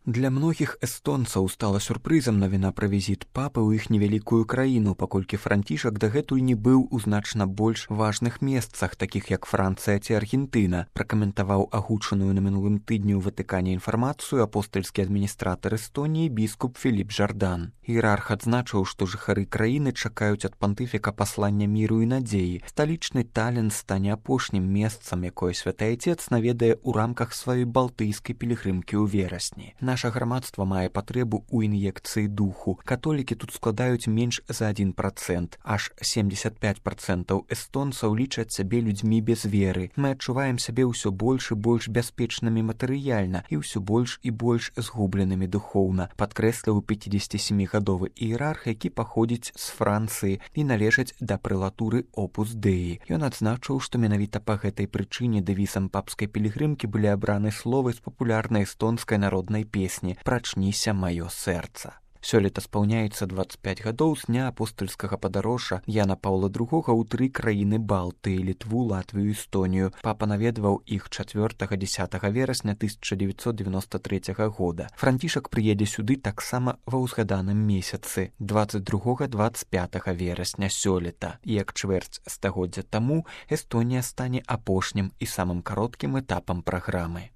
Для многіх эстонцаў стала сюрпрызам навіна пра візіт папы ў іх невялікую краіну, паколькі Францішак дагэтуль не быў у значна больш важных месцах, такіх як Францыя ці Аргентына, пракаментаваў агучаную на мінулым тыдні ў Ватыкане інфармацыю апостальскі адміністратар Эстоніі біскуп Філіп Жардан. Іерарх адзначыў, што жыхары краіны чакаюць ад пантыфіка паслання міру і надзеі. Сталічны Талін стане апошнім месцам, якое святы айцец наведае ў рамках сваёй балтыйскай пілігрымкі ў верасні. Наша грамадства мае патрэбу ў ін'екцыі духу. Католікі тут складаюць менш за 1%. Аж 75% эстонцаў лічаць сябе людзьмі без веры. Мы адчуваем сябе ўсё больш і больш бяспечнымі матэрыяльна і ўсё больш і больш згубленымі духоўна, падкрэсліў 57-гадовы іерарх, які паходзіць з Францыі і належаць да прэлатуры Опус Деі. Ён адзначыў, што менавіта па гэтай прычыне дэвізам папскай пілігрымкі былі абраны словы з папулярнай эстонскай народнай песні «Прачніся маё сэрца». Сёлета спаўняецца 25 гадоў з дня апостальскага падарожжа Яна Паўла II ў 3 краіны Балтыі, Літву, Латвію, Эстонію. Папа наведваў іх 4-10 верасня 1993 года. Францішак прыедзе сюды таксама ва ўзгаданым месяцы 22-25 верасня сёлета. Як чвэрць стагоддзя таму Эстонія стане апошнім і самым кароткім этапам праграмы.